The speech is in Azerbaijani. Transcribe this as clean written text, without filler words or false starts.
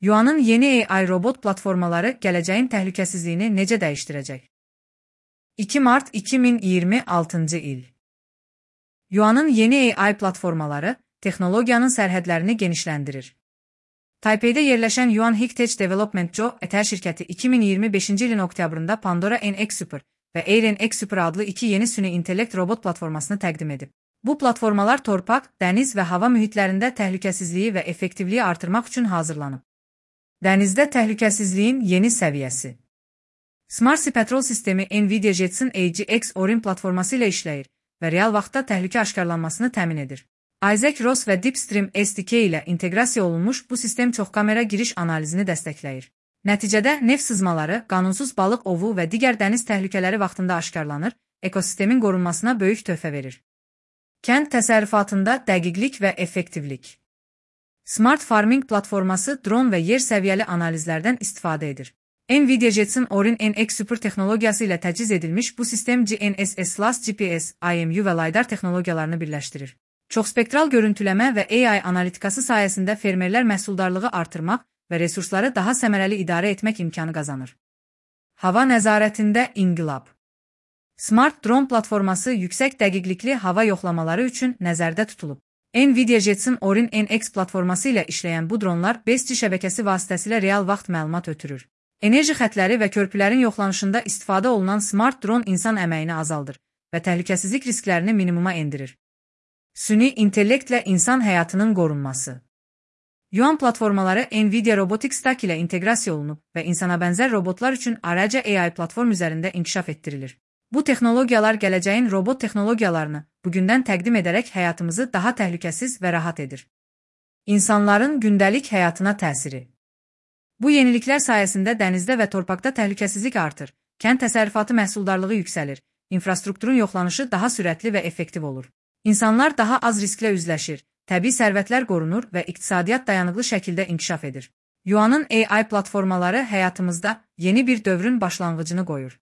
Yuan'ın yeni AI robot platformaları gələcəyin təhlükəsizliyini necə dəyişdirəcək? 2 Mart 2026 il. Yuan'ın yeni AI platformaları texnologiyanın sərhədlərini genişləndirir. Taipei'də yerləşən Yuan Heritage Development Co. Etər şirkəti 2025 ilin oktyabrında Pandora NX0 və Air NX0 adlı iki yeni süni intellekt robot platformasını təqdim edib. Bu platformalar torpaq, dəniz və hava mühitlərində təhlükəsizliyi və effektivliyi artırmaq üçün hazırlanıb. Dənizdə təhlükəsizliyin yeni səviyyəsi. Smart Sea Patrol sistemi Nvidia Jetson AGX Orin platforması ilə işləyir və real vaxtda təhlükə aşkarlanmasını təmin edir. Isaac Ross və DeepStream SDK ilə inteqrasiya olunmuş bu sistem çoxkamera giriş analizini dəstəkləyir. Nəticədə neft sızmaları, qanunsuz balıq ovu və digər dəniz təhlükələri vaxtında aşkarlanır, ekosistemin qorunmasına böyük töhfə verir. Kənd təsərrüfatında dəqiqlik və effektivlik. Smart Farming platforması dron və yer səviyyəli analizlərdən istifadə edir. Nvidia Jetson Orin NX0 texnologiyası ilə təchiz edilmiş bu sistem GNSS, GPS, IMU və LiDAR texnologiyalarını birləşdirir. Çoxspektral görüntüləmə və AI analitikası sayəsində fermerlər məhsuldarlığı artırmaq və resursları daha səmərəli idarə etmək imkanı qazanır. Hava nəzarətində inqilab. Smart Drone platforması yüksək dəqiqlikli hava yoxlamaları üçün nəzərdə tutulub. Nvidia Jetson Orin NX platforması ilə işləyən bu dronlar 5G şəbəkəsi vasitəsilə real vaxt məlumat ötürür. Enerji xətləri və körpülərin yoxlanışında istifadə olunan smart dron insan əməyini azaldır və təhlükəsizlik risklərini minimuma endirir. Süni intellektlə insan həyatının qorunması. Yuan platformaları Nvidia Robotics Stack ilə inteqrasiya olunub və insana bənzər robotlar üçün ayrıca AI platform üzərində inkişaf etdirilir. Bu texnologiyalar gələcəyin robot texnologiyalarını bugündən təqdim edərək həyatımızı daha təhlükəsiz və rahat edir. İnsanların gündəlik həyatına təsiri. Bu yeniliklər sayəsində dənizdə və torpaqda təhlükəsizlik artır, kənd təsərrüfatı məhsuldarlığı yüksəlir, infrastrukturun yoxlanışı daha sürətli və effektiv olur. İnsanlar daha az risklə üzləşir, təbii sərvətlər qorunur və iqtisadiyyat dayanıqlı şəkildə inkişaf edir. Yuan'ın AI platformaları həyatımızda yeni bir dövrün başlanğıcını qoyur.